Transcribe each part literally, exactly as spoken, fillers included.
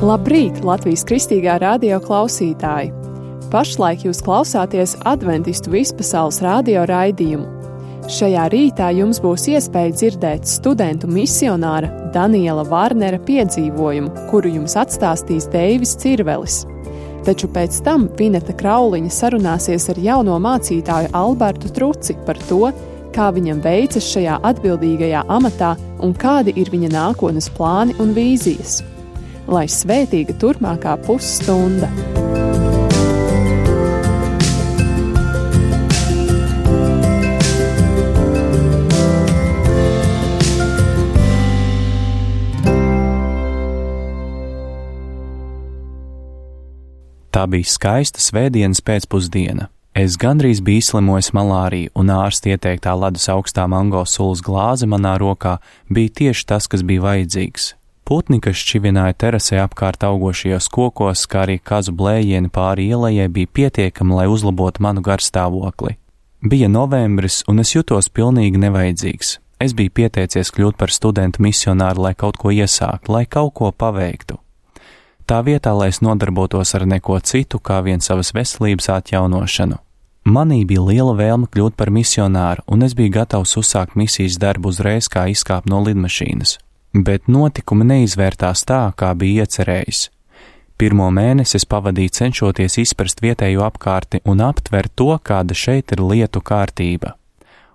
Labrīt, Latvijas Kristīgā radio klausītāji! Pašlaik jūs klausāties Adventistu vispasaules radio raidījumu. Šajā rītā jums būs iespēja dzirdēt studentu misionāra Daniela Vārnera piedzīvojumu, kuru jums atstāstīs Deivis Cirvelis. Taču pēc tam Vineta Krauliņa sarunāsies ar jauno mācītāju Albertu Truci par to, kā viņam veicas šajā atbildīgajā amatā un kādi ir viņa nākotnes plāni un vīzijas. Lai svētīga turpmākā pusstunda! Tā bija skaista svētdienas pēcpusdiena. Es gandrīz biju izslimojis malāriju, un ārsta ieteiktā ledus augstā mango sulas glāze manā rokā bija tieši tas, kas bija vajadzīgs. Putni, kas šķivināja terasē apkārt augošajos kokos, kā arī kazu blējieni pāri ielai, bija pietiekami, lai uzlabotu manu garstāvokli. Bija novembris, un es jutos pilnīgi nevajadzīgs. Es biju pieteicies kļūt par studentu misionāru, lai kaut ko iesāktu, lai kaut ko paveiktu. Tā vietā, lai es nodarbotos ar neko citu, kā vien savas veselības atjaunošanu. Manī bija liela vēlme kļūt par misionāru, un es biju gatavs uzsākt misijas darbu uzreiz, kā izkāpt no lidmašīnas. Bet notikumi neizvērtās tā, kā bija iecerējis. Pirmo mēnesi es pavadīju cenšoties izprast vietējo apkārtni un aptvert to, kāda šeit ir lietu kārtība.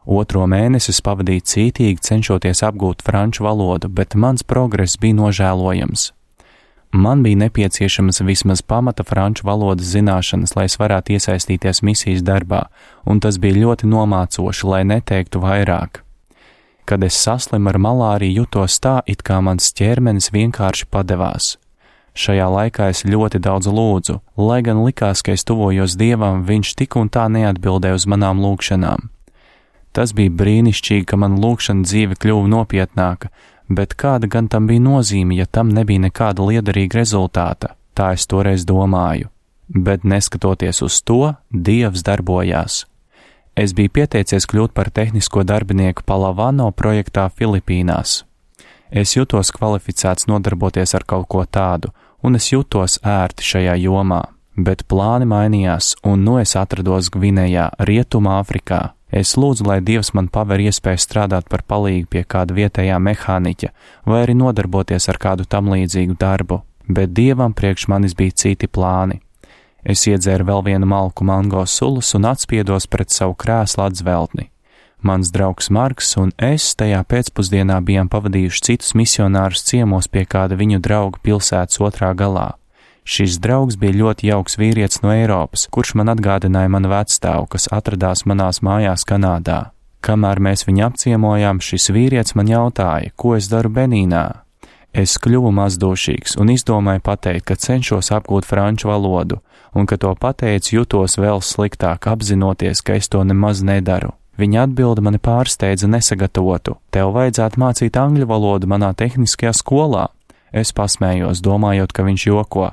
Otro mēnesi es pavadīju cītīgi cenšoties apgūt franču valodu, bet mans progress bija nožēlojams. Man bija nepieciešamas vismaz pamata franču valodas zināšanas, lai es varētu iesaistīties misijas darbā, un tas bija ļoti nomācoši, lai neteiktu vairāk. Kad es saslimu ar malāriju, jutos tā, it kā mans ķermenis vienkārši padevās. Šajā laikā es ļoti daudz lūdzu, lai gan likās, ka es tuvojos Dievam, viņš tik un tā neatbildēja uz manām lūgšanām. Tas bija brīnišķīgi, ka man lūgšana dzīve kļuva nopietnāka, bet kāda gan tam bija nozīme, ja tam nebija nekāda liederīga rezultāta, tā es toreiz domāju. Bet neskatoties uz to, Dievs darbojās. Es biju pieteicies kļūt par tehnisko darbinieku Palavano projektā Filipīnās. Es jutos kvalificēts nodarboties ar kaut ko tādu, un es jutos ērti šajā jomā, bet plāni mainījās, un nu es atrados Gvinejā, Rietumā Afrikā. Es lūdzu, lai Dievs man paver iespēju strādāt par palīgu pie kāda vietējā mehāniķa, vai arī nodarboties ar kādu tam līdzīgu darbu, bet Dievam priekš manis bija citi plāni. Es iedzēru vēl vienu malku mango sulas un atspiedos pret savu krēslu atzveltni. Mans draugs Marks un es tajā pēcpusdienā bijām pavadījuši citus misionārus ciemos pie kāda viņu drauga pilsētas otrā galā. Šis draugs bija ļoti jauks vīrietis no Eiropas, kurš man atgādināja manu vecstāvu, kas atradās manās mājās Kanādā. Kamēr mēs viņu apciemojām, šis vīrietis man jautāja, ko es daru Benīnā. Es kļuvu mazdūšīgs un izdomāju pateikt, ka cenšos apgūt franču valodu, un, kad to pateicu, jutos vēl sliktāk, apzinoties, ka es to nemaz nedaru. Viņa atbilde mani pārsteidza nesagatavotu. Tev vajadzētu mācīt angļu valodu manā tehniskajā skolā. Es pasmējos, domājot, ka viņš joko.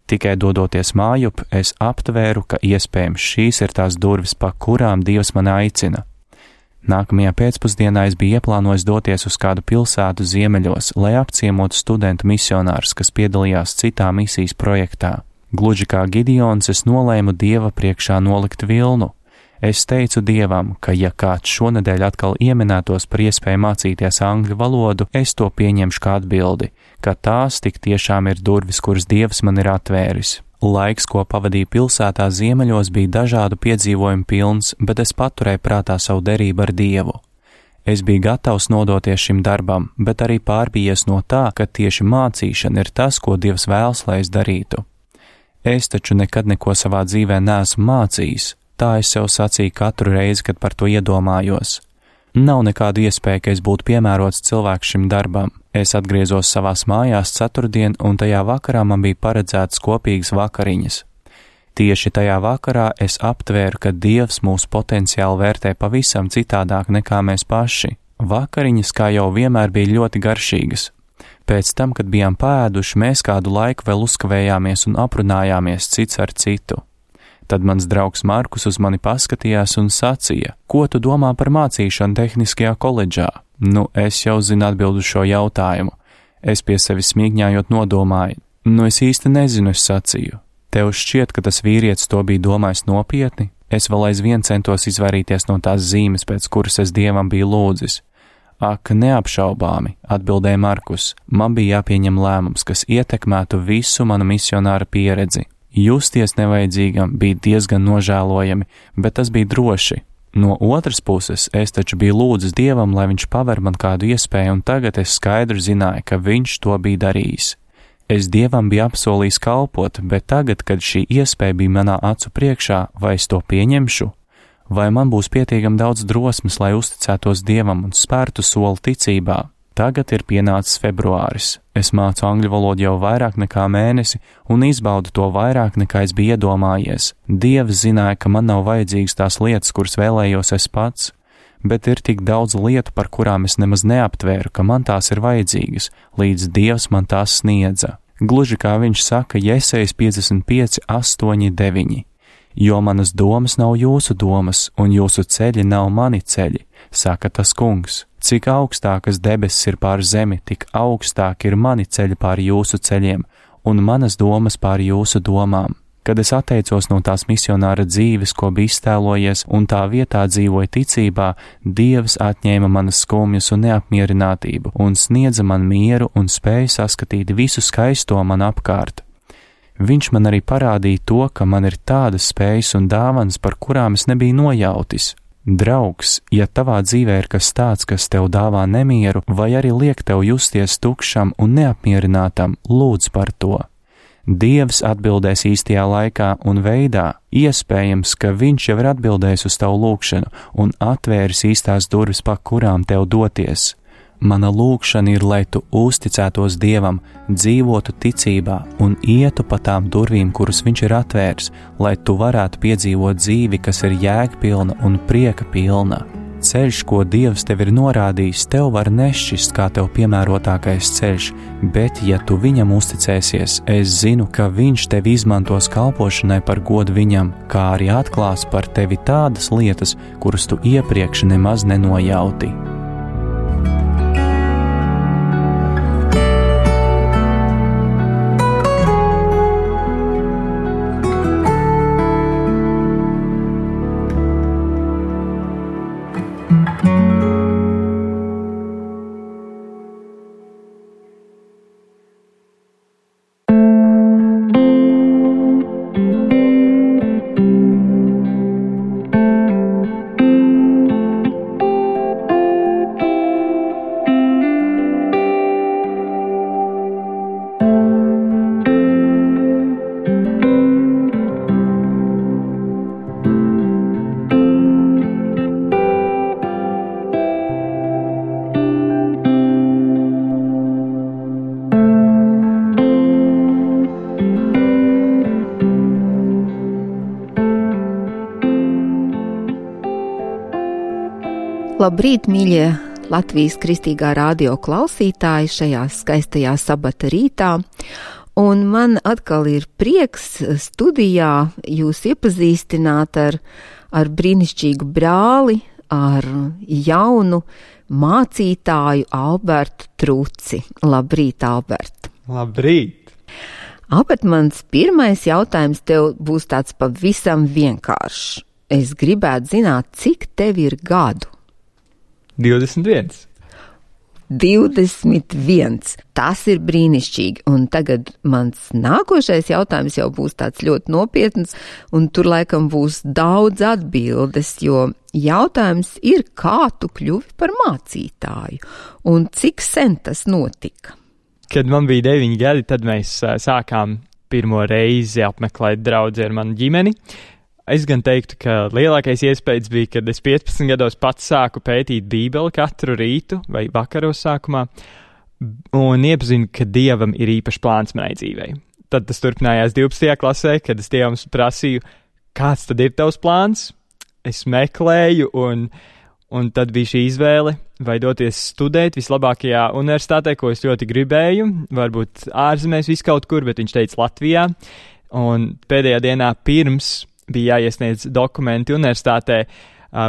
Tikai dodoties mājup, es aptvēru, ka iespējams šīs ir tās durvis, pa kurām Dievs mani aicina. Nākamajā pēcpusdienā es biju ieplānojis doties uz kādu pilsētu ziemeļos, lai apciemotu studentu misionārus, kas piedalījās citā misijas projektā. Gluži kā Gideons, es nolēmu Dieva priekšā nolikt vilnu. Es teicu Dievam, ka ja kāds šonedēļ atkal ieminētos par iespēju mācīties angļu valodu, es to pieņemšu kā atbildi, ka tās tik tiešām ir durvis, kuras Dievs man ir atvēris. Laiks, ko pavadīju pilsētā ziemeļos, bija dažādu piedzīvojumu pilns, bet es paturēju prātā savu derību ar Dievu. Es biju gatavs nodoties šim darbam, bet arī pārbijies no tā, ka tieši mācīšana ir tas, ko Dievs vēlas, lai es darītu. Es taču nekad neko savā dzīvē neesmu mācījis, tā es sev sacīju katru reizi, kad par to iedomājos. Nav nekādu iespēju, ka es būtu piemērots cilvēks šim darbam. Es atgriezos savās mājās ceturtdien, un tajā vakarā man bija paredzētas kopīgas vakariņas. Tieši tajā vakarā es aptvēru, ka Dievs mūsu potenciāli vērtē pavisam citādāk nekā mēs paši. Vakariņas, kā jau vienmēr, bija ļoti garšīgas. Pēc tam, kad bijām pēduši, mēs kādu laiku vēl uzkavējāmies un aprunājāmies cits ar citu. Tad mans draugs Markus uz mani paskatījās un sacīja, ko tu domā par mācīšanu tehniskajā koledžā? Nu, es jau zinu atbildu šo jautājumu. Es pie sevis smīgņājot nodomāju, Nu, es īsti nezinu, es sacīju. Tev šķiet, ka tas vīrietis to bija domājis nopietni? Es vēl aizvien centos izvairīties no tās zīmes, pēc kuras es Dievam biju lūdzis. Ak, neapšaubāmi, atbildēja Markus, man bija jāpieņem lēmums, kas ietekmētu visu manu misionāra pieredzi. Justies nevajadzīgam bija diezgan nožēlojami, bet tas bija droši. No otras puses, es taču biju lūdzis Dievam, lai viņš paver man kādu iespēju, un tagad es skaidri zināju, ka viņš to bija darījis. Es Dievam biju apsolījis kalpot, bet tagad, kad šī iespēja bija manā acu priekšā, vai es to pieņemšu? Vai man būs pietiekami daudz drosmes, lai uzticētos Dievam un spērtu soli ticībā? Tagad ir pienācis februāris. Es mācu angļu valodu jau vairāk nekā mēnesi un izbaudu to vairāk nekā es biju iedomājies. Dievs zināja, ka man nav vajadzīgas tās lietas, kuras vēlējos es pats, bet ir tik daudz lietu, par kurām es nemaz neaptvēru, ka man tās ir vajadzīgas, līdz Dievs man tās sniedza. Gluži kā viņš saka Jesejas piecdesmit pieci, astoņi, deviņi. Jo manas domas nav jūsu domas, un jūsu ceļi nav mani ceļi, saka tas kungs. Cik augstākas debesis ir pār zemi, tik augstāk ir mani ceļi pār jūsu ceļiem, un manas domas pār jūsu domām. Kad es atteicos no tās misionāra dzīves, ko bija iztēlojies, un tā vietā dzīvoju ticībā, Dievs atņēma manas skumjas un neapmierinātību, un sniedza man mieru un spēju saskatīt visu skaisto man apkārt. Viņš man arī parādīja to, ka man ir tādas spējas un dāvanas, par kurām es nebiju nojautis. Draugs, ja tavā dzīvē ir kas tāds, kas tev dāvā nemieru, vai arī liek tev justies tukšam un neapmierinātam, lūdz par to. Dievs atbildēs īstajā laikā un veidā, iespējams, ka viņš jau ir atbildējis uz tavu lūgšanu un atvēris īstās durvis, pa kurām tev doties. Mana lūgšana ir, lai tu uzticētos Dievam, dzīvotu ticībā un ietu pa tām durvīm, kuras viņš ir atvērs, lai tu varētu piedzīvot dzīvi, kas ir jēgpilna un prieka pilna. Ceļš, ko Dievs tev ir norādījis, tev var nešķist kā tev piemērotākais ceļš, bet, ja tu viņam uzticēsies, es zinu, ka viņš tevi izmantos kalpošanai par godu viņam, kā arī atklās par tevi tādas lietas, kuras tu iepriekš nemaz nenojauti. Labrīt, mīļie Latvijas Kristīgā radio klausītāji šajā skaistajā sabata rītā, un man atkal ir prieks studijā jūs iepazīstināt ar, ar brīnišķīgu brāli, ar jaunu mācītāju Albertu Truci. Labrīt, Albert! Labrīt! Albert, mans pirmais jautājums tev būs tāds pavisam vienkāršs. Es gribētu zināt, cik tev ir gadu? divdesmit viens. divdesmit viens. Tas ir brīnišķīgi. Un tagad mans nākošais jautājums jau būs tāds ļoti nopietns, un tur laikam būs daudz atbildes, jo jautājums ir, kā tu kļuvi par mācītāju, un cik sen tas notika? Kad man bija deviņi gadi, tad mēs uh, sākām pirmo reizi apmeklēt draudzi ar manu ģimeni. Es gan teiktu, ka lielākais iespējas bija, kad es piecpadsmit gados pats sāku pētīt Bībeli katru rītu vai vakaros sākumā un iepazinu, ka Dievam ir īpašs plāns manai dzīvei. Tad tas turpinājās divpadsmitajā klasē, kad es Dievam prasīju, kāds tad ir tavs plāns? Es meklēju un, un tad bija šī izvēle vai doties studēt vislabākajā universitātē, ko es ļoti gribēju, varbūt ārzemēs viskaut kur, bet viņš teica Latvijā. Un pēdējā dienā pirms bija jāiesniedz dokumenti universitātē.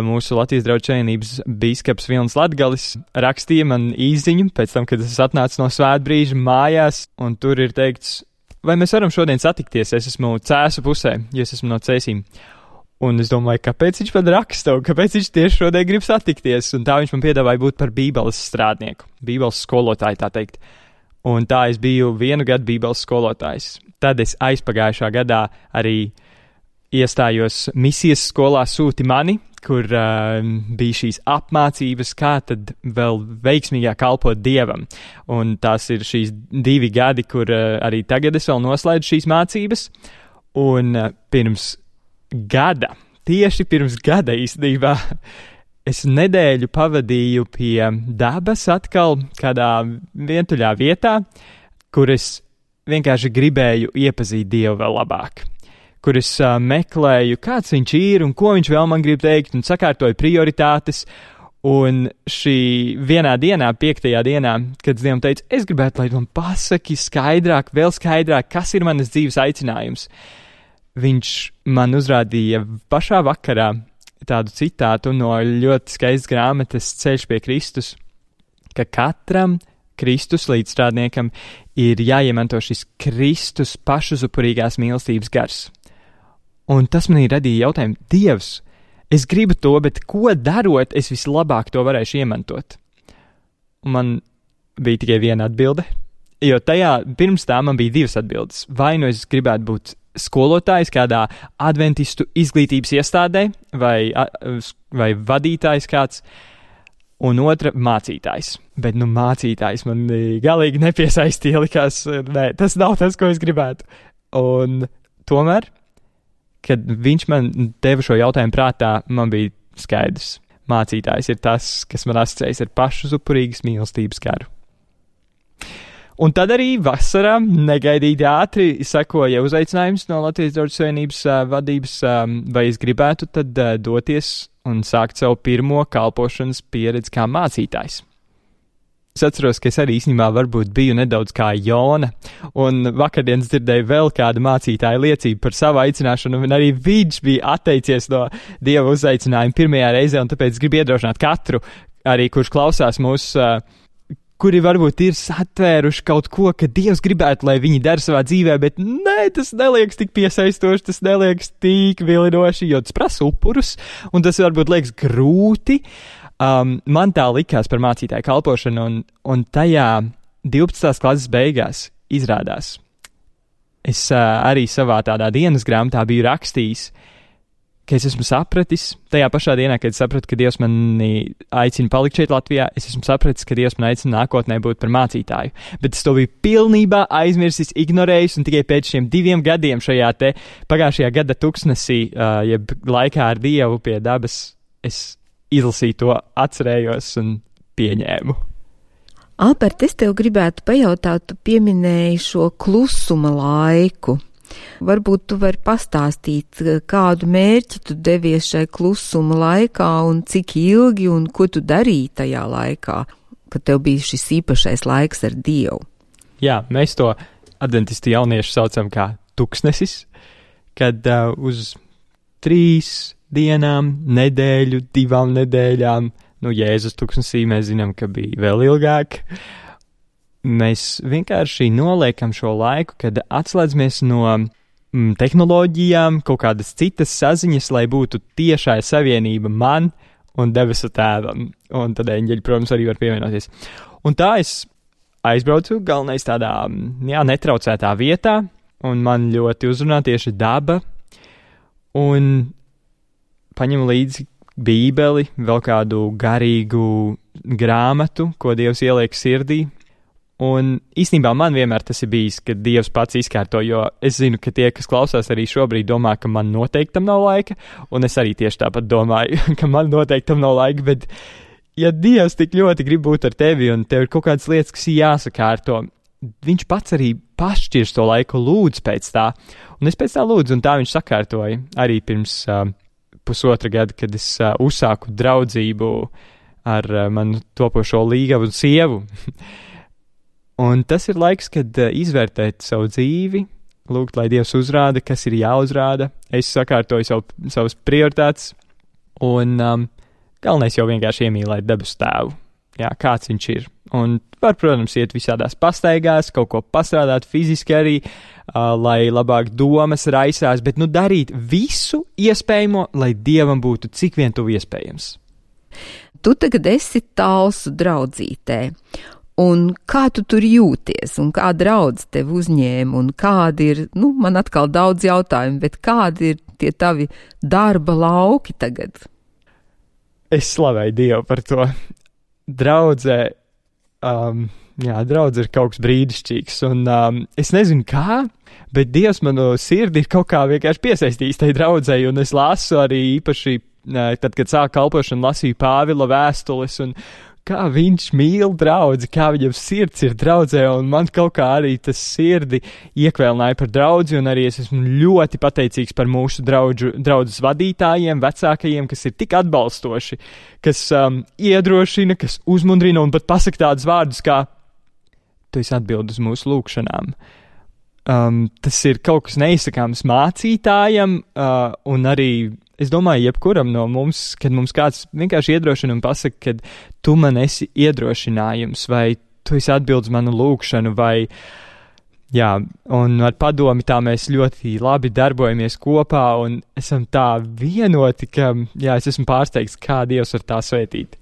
Mūsu Latvijas Draugu Savienības bīskaps Vilnis Latgalis rakstīja man īsziņu pēc tam, kad es atnācu no svētbrīža mājās, un tur ir teikts, vai mēs varam šodien satikties? Es esmu Cēsu pusē, jo es esmu no Cēsīm. Un es domāju, kāpēc viņš man raksta, un kāpēc viņš tieši šodien grib satikties. Un tā viņš man piedāvāja būt par bībeles strādnieku, bībeles skolotāju, tā teikt. Un tā es biju vienu gadu bībeles skolotājs. Tad es aizpagājušā gadā arī iestājos misijas skolā Sūti mani, kur uh, bija šīs apmācības, kā tad vēl veiksmīgāk kalpot Dievam. Un tās ir šīs divi gadi, kur uh, arī tagad es vēl noslēdzu šīs mācības. Un uh, pirms gada, tieši pirms gada īstenībā, es nedēļu pavadīju pie dabas atkal kādā vientuļā vietā, kur es vienkārši gribēju iepazīt Dievu vēl labāk, kur es uh, meklēju, kāds viņš ir un ko viņš vēl man grib teikt, un sakārtoju prioritātes. Un šī vienā dienā, piektajā dienā, kad es Dievam teicu, es gribētu, lai man pasaki skaidrāk, vēl skaidrāk, kas ir manas dzīves aicinājums, viņš man uzrādīja pašā vakarā tādu citātu no ļoti skaistas grāmatas Ceļš pie Kristus, ka katram Kristus līdzstrādniekam ir jāiemanto šis Kristus pašuzupurīgās mīlestības gars. Un tas man ir radīja jautājumu, Dievs, es gribu to, bet ko darot, es vislabāk to varēšu iemantot? Un man bija tikai viena atbilde, jo tajā pirms tā man bija divas atbildes. Vai nu es gribētu būt skolotājs kādā adventistu izglītības iestādē, vai, vai vadītājs kāds, un otra mācītājs. Bet, nu, mācītājs man galīgi nepiesaistīja, likās, nē, tas nav tas, ko es gribētu. Un tomēr, kad viņš man deva šo jautājumu prātā, man bija skaidrs. Mācītājs ir tas, kas man asociējas ar pašuzupurīgas mīlestības garu. Un tad arī vasarā negaidīti ātri sekoja uzaicinājums no Latvijas Draugu Savienības uh, vadības, um, vai es gribētu tad uh, doties un sākt savu pirmo kalpošanas pieredzi kā mācītājs. Es atceros, ka es arī īstenībā varbūt biju nedaudz kā Jona, un vakardienas dzirdēju vēl kādu mācītāju liecību par savu aicināšanu, un arī viņš bija atteicies no Dieva uzaicinājuma pirmajā reizē, un tāpēc gribu iedrošināt katru, arī kurš klausās mūsu uh, kuri varbūt ir satvēruši kaut ko, ka Dievs gribētu, lai viņi dara savā dzīvē, bet nē, tas neliekas tik piesaistoši, tas neliekas tik vilinoši, jo tas prasa upurus, un tas varbūt liekas grūti. Um, man tā likās par mācītāju kalpošanu, un, un tajā divpadsmitās klases beigās izrādās. Es uh, arī savā tādā dienas grāmatā biju rakstījis, ka es esmu sapratis, tajā pašā dienā, kad es sapratu, ka Dievs mani aicina palikt šeit Latvijā, es esmu sapratis, ka Dievs man aicina nākotnē būt par mācītāju. Bet es to biju pilnībā aizmirsis, ignorējis, un tikai pēc šiem diviem gadiem šajā te pagājušajā gada tuksnesī, uh, jeb laikā ar Dievu pie dabas, es izlasīju to, atcerējos un pieņēmu. Albert, es tev gribētu pajautāt, tu pieminēji šo klusuma laiku. Varbūt tu vari pastāstīt, kādu mērķi tu devies šai klusuma laikā un cik ilgi un ko tu darīji tajā laikā, kad tev bija šis īpašais laiks ar Dievu. Jā, mēs to adventistu jauniešu saucam kā tuksnesis, kad uh, uz trīs dienām, nedēļu, divām nedēļām, nu Jēzus tuksnesī mēs zinām, ka bija vēl ilgāk. Mēs vienkārši noliekam šo laiku, kad atslēdzamies no mm, tehnoloģijām, kaut kādas citas saziņas, lai būtu tiešā savienība man un debesu tēvam. Un tad eņģeļi, protams, arī var pievienoties. Un tā es aizbraucu galvenais tādā, jā, netraucētā vietā, un man ļoti uzrunā tieši daba, un paņemu līdzi bībeli, vēl kādu garīgu grāmatu, ko Dievs ieliek sirdī. Un īstenībā man vienmēr tas ir bijis, ka Dievs pats izkārto, jo es zinu, ka tie, kas klausās arī šobrīd, domā, ka man noteikti tam nav laika, un es arī tieši tāpat domāju, ka man noteikti tam nav laika, bet ja Dievs tik ļoti grib būt ar tevi, un tev ir kaut kādas lietas, kas jāsakārto, viņš pats arī pašķirs to laiku, lūdz pēc tā, un es pēc tā lūdzu, un tā viņš sakārtoja arī pirms uh, pusotra gada, kad es uh, uzsāku draudzību ar uh, manu topošo līgavu un sievu. Un tas ir laiks, kad uh, izvērtēt savu dzīvi, lūgt, lai Dievs uzrāda, kas ir jāuzrāda. Es sakārtoju savu, savas prioritātes, un um, galvenais jau vienkārši iemīlēt debesu tēvu. jā, kāds viņš ir. Un var, protams, iet visādās pastaigās, kaut ko pastrādāt fiziski arī, uh, lai labāk domas raisās, bet nu darīt visu iespējamo, lai Dievam būtu cik vien tuvu iespējams. Tu tagad esi Talsu draudzītē, un kā tu tur jūties, un kā draudz tev uzņēma, un kādi ir, nu, man atkal daudz jautājumu, bet kādi ir tie tavi darba lauki tagad? Es slavēju Dievu par to. Draudzē, um, jā, draudz ir kaut kas brīnišķīgs, un um, es nezinu kā, bet Dievs manu sirdi ir kaut kā vienkārši piesaistījis tai draudzei, un es lasu arī īpaši, tad, kad sāku kalpošanu, lasīju Pāvila vēstules, un kā viņš mīl draudzi, kā viņam sirds ir draudzē, un man kaut kā arī tas sirdi iekvēlināja par draudzi, un arī es esmu ļoti pateicīgs par mūsu draudžu, draudzes vadītājiem, vecākajiem, kas ir tik atbalstoši, kas um, iedrošina, kas uzmundrina, un pat pasaka tādus vārdus kā, tu esi atbild uz mūsu lūkšanām. Um, tas ir kaut kas neizsakāms mācītājam, uh, un arī es domāju, jebkuram no mums, kad mums kāds vienkārši iedrošina un pasaka, ka tu man esi iedrošinājums, vai tu esi atbildes manu lūkšanu, vai, jā, un ar padomi tā mēs ļoti labi darbojamies kopā, un esam tā vienoti, ka, jā, es esmu pārsteigts, kā Dievs var tā svētīt.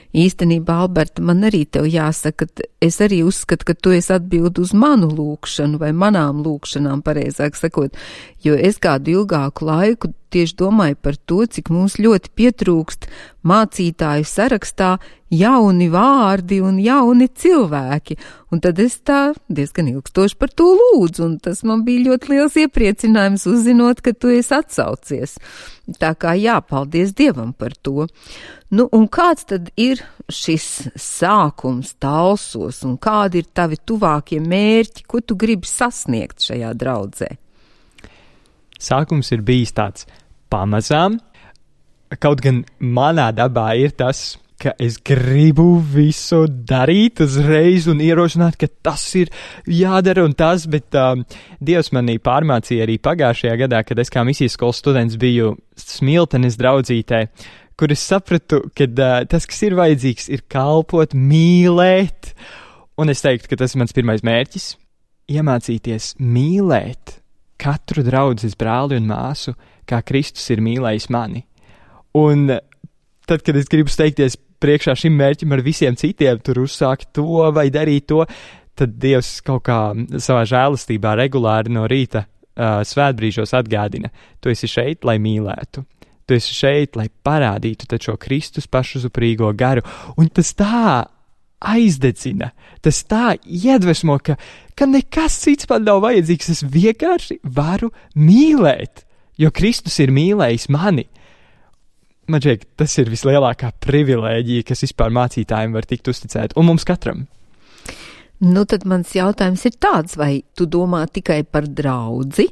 Īstenībā, Alberta, man arī tev jāsaka, es arī uzskatu, ka tu esi atbild uz manu lūkšanu vai manām lūkšanām, pareizāk sakot, jo es kādu ilgāku laiku tieši domāju par to, cik mums ļoti pietrūkst mācītāju sarakstā jauni vārdi un jauni cilvēki, un tad es tā diezgan ilgstoši par to lūdzu, un tas man bija ļoti liels iepriecinājums uzzinot, ka tu esi atsaucies. Tā kā jā, paldies Dievam par to. Nu, un kāds tad ir šis sākums Talsos, un kādi ir tavi tuvākie mērķi, ko tu gribi sasniegt šajā draudzē? Sākums ir bijis tāds pamazām, kaut gan manā dabā ir tas, ka es gribu visu darīt uzreiz un ierosināt, ka tas ir jādara un tas, bet um, Dievs manī pārmācīja arī pagājušajā gadā, kad es kā misijas skolas students biju Smiltenes draudzītē, kur es sapratu, ka uh, tas, kas ir vajadzīgs, ir kalpot, mīlēt, un es teiktu, ka tas ir mans pirmais mērķis – iemācīties mīlēt katru draudzes brāli un māsu, kā Kristus ir mīlējis mani. Un tad, kad es gribu steigties priekšā šim mērķim ar visiem citiem, tur uzsākt to vai darīt to, tad Dievs kaut kā savā žēlastībā regulāri no rīta uh, svētbrīžos atgādina, tu esi šeit, lai mīlētu. Tu esi šeit, lai parādītu taču Kristus pašuzuprīgo garu. Un tas tā aizdedzina, tas tā iedvesmo, ka, ka nekas cits man nav vajadzīgs, es vienkārši varu mīlēt, jo Kristus ir mīlējis mani. Man šķiet, tas ir vislielākā privilēģija, kas vispār mācītājiem var tikt uzticēt, un mums katram. Nu, tad mans jautājums ir tāds, vai tu domā tikai par draudzi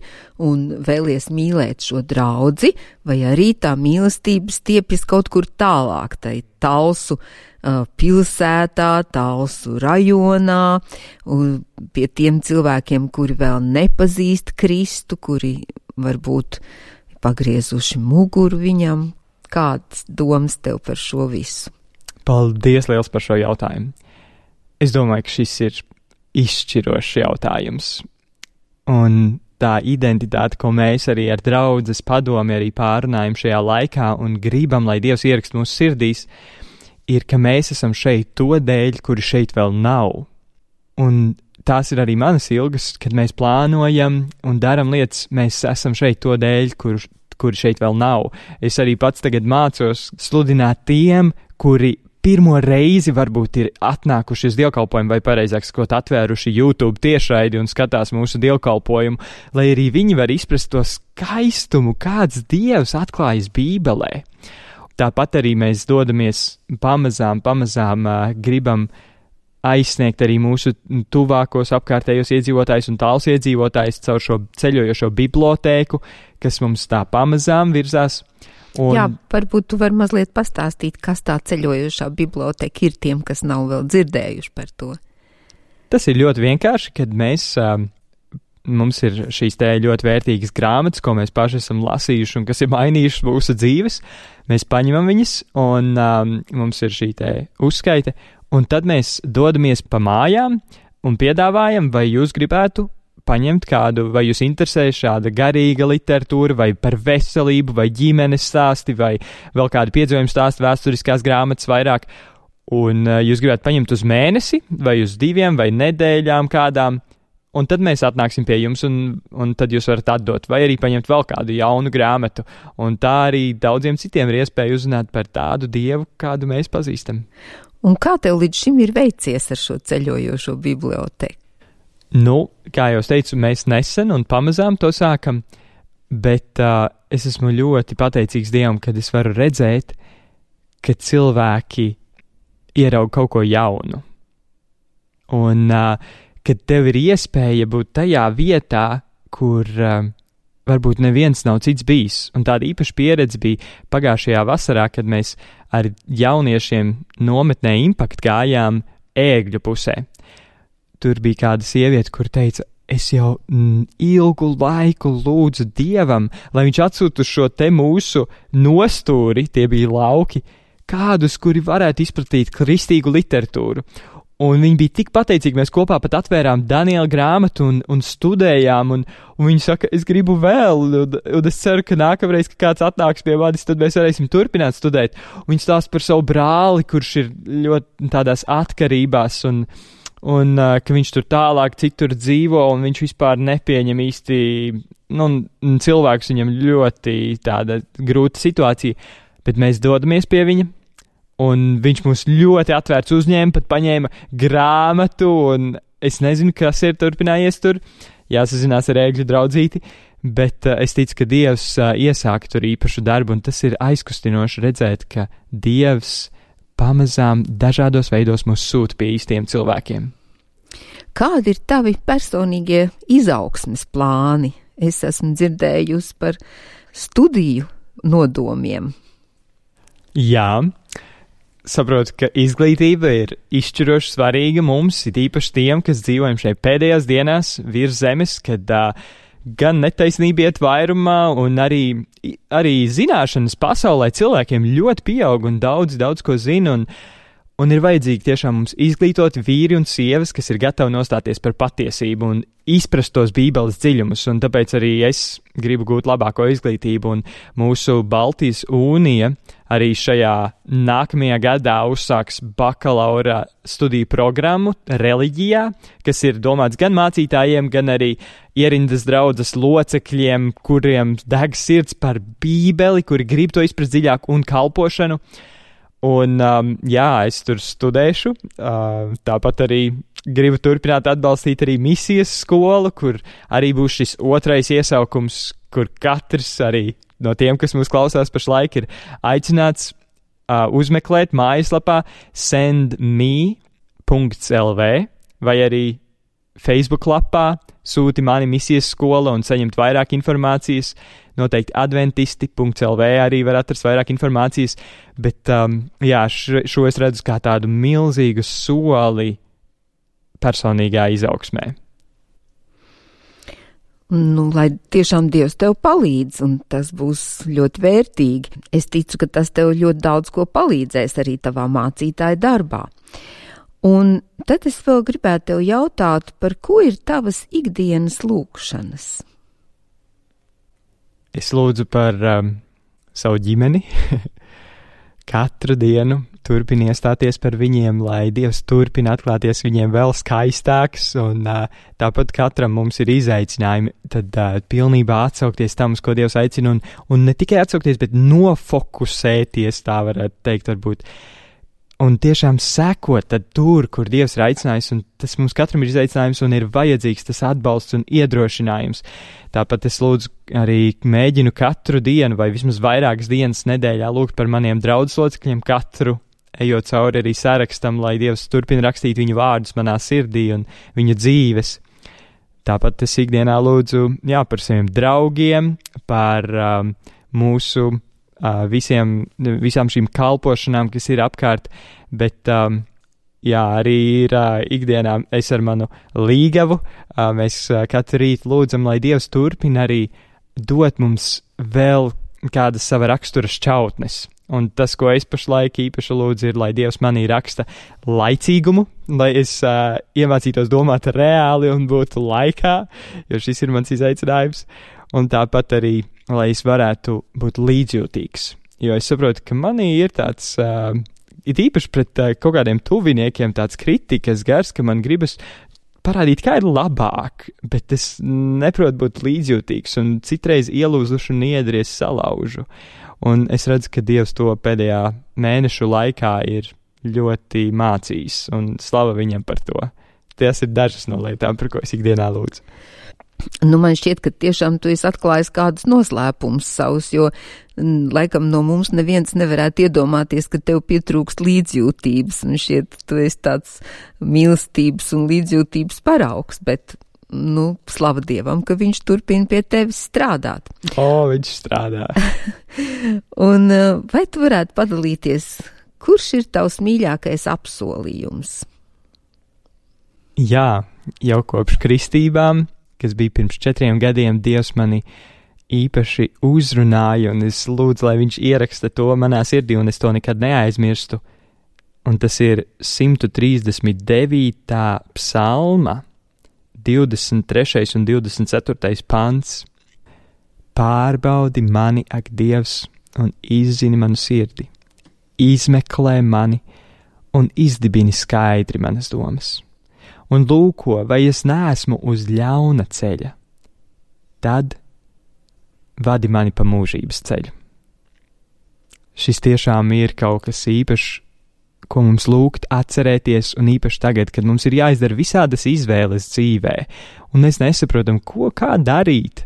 un vēlies mīlēt šo draudzi, vai arī tā mīlestība stiepjas kaut kur tālāk, tai Talsu uh, pilsētā, Talsu rajonā, un pie tiem cilvēkiem, kuri vēl nepazīst Kristu, kuri varbūt pagriezuši muguru viņam. Kādas domas tev par šo visu? Paldies liels par šo jautājumu. Es domāju, ka šis ir izšķirošs jautājums. Un tā identitāte, ko mēs arī ar draudzes padomi arī pārunājam šajā laikā un gribam, lai Dievs ierakst mūsu sirdīs, ir, ka mēs esam šeit to dēļ, kuri šeit vēl nav. Un tās ir arī manas ilgas, kad mēs plānojam un daram lietas, mēs esam šeit to dēļ, kur, kuri šeit vēl nav. Es arī pats tagad mācos sludināt tiem, kuri pirmo reizi varbūt ir atnākuši uz dievkalpojumu vai pareizāk sakot atvēruši YouTube tiešraidi un skatās mūsu dievkalpojumu, lai arī viņi var izprast to skaistumu, kāds Dievs atklājas Bībelē. Tāpat arī mēs dodamies pamazām, pamazām uh, gribam aizsniegt arī mūsu tuvākos apkārtējos iedzīvotājus un tāls iedzīvotājus caur šo ceļojošo bibliotēku, kas mums tā pamazām virzās. Un... Jā, varbūt tu vari mazliet pastāstīt, kas tā ceļojošā biblioteka ir tiem, kas nav vēl dzirdējuši par to. Tas ir ļoti vienkārši, kad mēs, um, mums ir šīs te ļoti vērtīgas grāmatas, ko mēs paši esam lasījuši un kas ir mainījušas mūsu dzīves. Mēs paņemam viņas un um, mums ir šī te uzskaite Un tad mēs dodamies pa mājām un piedāvājam, vai jūs gribētu paņemt kādu, vai jūs interesē šāda garīga literatūra, vai par veselību, vai ģimenes stāsti, vai vēl kādi piedzīvojumi stāsti, vēsturiskās grāmatas vairāk. Un uh, jūs gribētu paņemt uz mēnesi, vai uz diviem, vai nedēļām kādām, un tad mēs atnāksim pie jums, un, un tad jūs varat atdot, vai arī paņemt vēl kādu jaunu grāmatu. Un tā arī daudziem citiem ir iespēja uzzināt par tādu Dievu, kādu mēs pazīstam. Un kā tev līdz šim ir veicies ar šo ceļojošo bibliotēku? Nu, kā jau teicu, mēs nesen un pamazām to sākam, bet uh, es esmu ļoti pateicīgs Dievam, kad es varu redzēt, ka cilvēki ieraug kaut ko jaunu. Un uh, kad tev ir iespēja būt tajā vietā, kur uh, varbūt neviens nav cits bijis. Un tāda īpaša pieredze bija pagājušajā vasarā, kad mēs ar jauniešiem nometnē Impact gājām Ēgļu pusē. Tur bija kāda sieviete, kur teica, es jau mm, ilgu laiku lūdzu Dievam, lai viņš atsūtu šo te mūsu nostūri, tie bija lauki, kādus, kuri varētu izplatīt kristīgu literatūru. Un viņi bija tik pateicīgi, mēs kopā pat atvērām Daniela grāmatu un, un studējām, un, un viņi saka, es gribu vēl, un, un es ceru, ka nākamreiz, kad kāds atnāks pie manis, tad mēs varēsim turpināt studēt. Un viņi stāsta par savu brāli, kurš ir ļoti tādās atkarībās, un, un uh, ka viņš tur tālāk citur dzīvo, un viņš vispār nepieņem īsti, nu, cilvēks viņam ļoti tāda grūta situācija, bet mēs dodamies pie viņa. Un viņš mūs ļoti atvērts uzņēma, pat paņēma grāmatu, un es nezinu, kas ir turpinājies tur, jāsazinās ar Ēgļu draudzīti, bet uh, es ticu, ka Dievs uh, iesāka tur īpašu darbu, un tas ir aizkustinoši redzēt, ka Dievs pamazām dažādos veidos mūs sūta pie īstiem cilvēkiem. Kādi ir tavi personīgie izaugsmes plāni? Es esmu dzirdējusi par studiju nodomiem. Jā. Saprotu, ka izglītība ir izšķiroši svarīga mums, it īpaši tiem, kas dzīvojam šeit pēdējās dienās virs zemes, kad uh, gan netaisnība iet vairumā, un arī, arī zināšanas pasaulē cilvēkiem ļoti pieaug un daudz, daudz ko zina, un, un ir vajadzīgi tiešām mums izglītoti vīri un sievas, kas ir gatavi nostāties par patiesību un izprast tos Bībeles dziļumus, un tāpēc arī es gribu gūt labāko izglītību, un mūsu Baltijas Unija arī šajā nākamajā gadā uzsāks bakalaura studiju programmu reliģijā, kas ir domāts gan mācītājiem, gan arī ierindas draudzes locekļiem, kuriem deg sirds par Bībeli, kuri grib to izprast dziļāk, un kalpošanu. Un, um, jā, es tur studēšu, uh, tāpat arī gribu turpināt atbalstīt arī misijas skolu, kur arī būs šis otrais iesaukums, kur katrs arī no tiem, kas mūs klausās pašlaik, ir aicināts uh, uzmeklēt mājaslapā send me dot l v vai arī Facebook lapā sūti mani misijas skola un saņemt vairāk informācijas. Noteikti adventisti dot l v arī var atrast vairāk informācijas, bet um, jā, šo, šo es redzu kā tādu milzīgu soli personīgā izaugsmē. Nu, lai tiešām Dievs tev palīdz, un tas būs ļoti vērtīgi. Es ticu, ka tas tev ļoti daudz ko palīdzēs arī tavā mācītāja darbā. Un tad es vēl gribētu tev jautāt, par ko ir tavas ikdienas lūgšanas? Es lūdzu par um, savu ģimeni. Katru dienu turpina iestāties par viņiem, lai Dievs turpina atklāties viņiem vēl skaistāks, un uh, tāpat katram mums ir izaicinājumi, tad uh, pilnībā atsaukties tam, uz ko Dievs aicina, un, un ne tikai atsaukties, bet nofokusēties, tā varētu teikt, varbūt, un tiešām sekot tad tur, kur Dievs ir aicinājis, un tas mums katram ir izaicinājums, un ir vajadzīgs tas atbalsts un iedrošinājums. Tāpat es lūdzu arī mēģinu katru dienu, vai vismaz vairākas dienas nedēļā lūgt par maniem draudzes locekļiem katru, ejot cauri arī sarakstam, lai Dievs turpina rakstīt viņu vārdus manā sirdī un viņu dzīves. Tāpat es ikdienā lūdzu, jā, par saviem draugiem, par um, mūsu Uh, visiem, visām šīm kalpošanām, kas ir apkārt, bet um, jā, arī ir uh, ikdienā es ar manu līgavu, uh, mēs uh, katru rītu lūdzam, lai Dievs turpina arī dot mums vēl kādas sava rakstura šķautnes, Un tas, ko es pašlaik īpaši lūdzu, ir, lai Dievs manī raksta laicīgumu, lai es uh, iemācītos domāt reāli un būtu laikā, jo šis ir mans izaicinājums. Un tāpat arī, lai es varētu būt līdzjūtīgs, jo es saprotu, ka manī ir tāds, uh, it īpaši pret uh, kaut kādiem tuviniekiem tāds kritikas gars, ka man gribas parādīt, kā ir labāk, bet es neprotu būt līdzjūtīgs un citreiz ielūzuši un iedries salaužu. Un es redzu, ka Dievs to pēdējā mēnešu laikā ir ļoti mācījis un slava viņam par to. Tas ir dažas no lietām, par ko es ikdienā lūdzu. Nu, man šķiet, ka tiešām tu esi atklājis kādus noslēpumus savus, jo laikam no mums neviens nevarētu iedomāties, ka tev pietrūkst līdzjūtības, un šķiet, tu esi tāds mīlestības un līdzjūtības paraugs, bet, nu, slava Dievam, ka viņš turpina pie tevis strādāt. O, viņš strādā. Un vai tu varētu padalīties, kurš ir tavs mīļākais apsolījums? Jā, jau kopš kristībām, kas bija pirms četriem gadiem, Dievs mani īpaši uzrunāja, un es lūdzu, lai viņš ieraksta to manā sirdī, un es to nekad neaizmirstu. Un tas ir simt trīsdesmit devītā psalma, divdesmit trešais un divdesmit ceturtais pants. Pārbaudi mani, ak Dievs, un izzini manu sirdi. Izmeklē mani un izdibini skaidri manas domas. Un lūko, vai es neesmu uz ļauna ceļa, tad vadi mani pa mūžības ceļu. Šis tiešām ir kaut kas īpašs, ko mums lūgt atcerēties, un īpaši tagad, kad mums ir jāizdara visādas izvēles dzīvē, un mēs nesaprotam, ko kā darīt.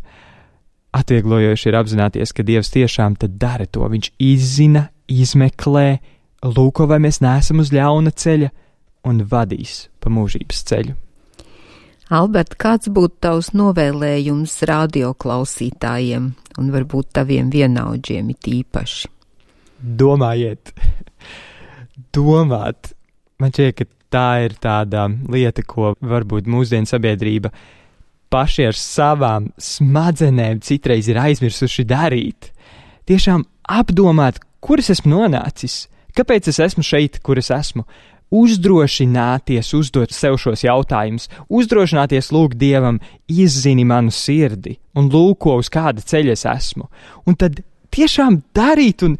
Atvieglojoši ir apzināties, ka Dievs tiešām tad dara to. Viņš izzina, izmeklē, lūko, vai mēs neesam uz ļauna ceļa, un vadīs pa mūžības ceļu. Albert, kāds būtu tavs novēlējums radioklausītājiem un varbūt taviem vienaudžiem it īpaši? Domājiet, domāt. Man šķiet, ka tā ir tāda lieta, ko varbūt mūsdienu sabiedrība paši ar savām smadzenēm citreiz ir aizmirsuši darīt. Tiešām apdomāt, kur es esmu nonācis, kāpēc es esmu šeit, kur es esmu. Uzdrošināties uzdot sev šos jautājumus, uzdrošināties lūgt Dievam, izzini manu sirdi un lūko, uz kāda ceļa es esmu. Un tad tiešām darīt un,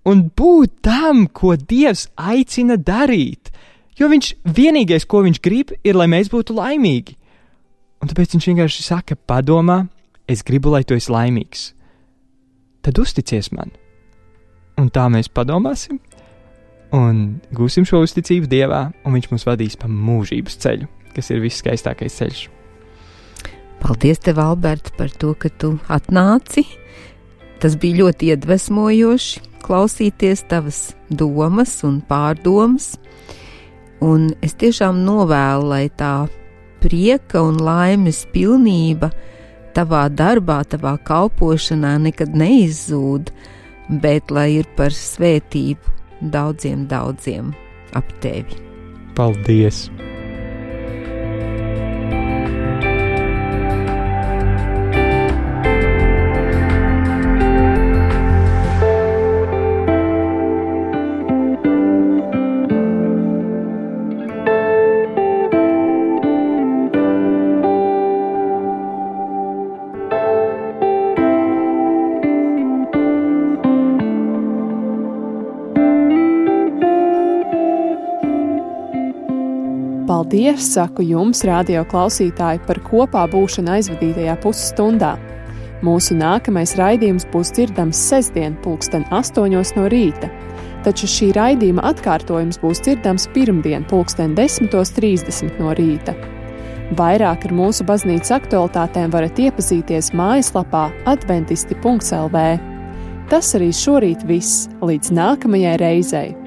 un būt tam, ko Dievs aicina darīt. Jo viņš vienīgais, ko viņš grib, ir, lai mēs būtu laimīgi. Un tāpēc viņš vienkārši saka, padomā, es gribu, lai tu esi laimīgs. Tad uzticies man. Un tā mēs padomāsim. Un gūsim šo uzticību Dievā, un viņš mūs vadīs pa mūžības ceļu, kas ir viskaistākais ceļš. Paldies tev, Albert, par to, ka tu atnāci. Tas bija ļoti iedvesmojoši klausīties tavas domas un pārdomas. Un es tiešām novēlu, lai tā prieka un laimes pilnība tavā darbā, tavā kalpošanā nekad neizzūd, bet lai ir par svētību daudziem, daudziem ap tevi. Paldies! Paldies, saku jums, radio klausītāji, par kopā būšanu aizvadītajā pusstundā. Mūsu nākamais raidījums būs dzirdams sestdien pulksten astoņos no rīta, taču šī raidījuma atkārtojums būs dzirdams pirmdien pulksten desmitos trīsdesmit no rīta. Vairāk ar mūsu baznīcas aktualitātēm varat iepazīties mājaslapā adventisti punkts el vē. Tas arī šorīt viss, līdz nākamajai reizei.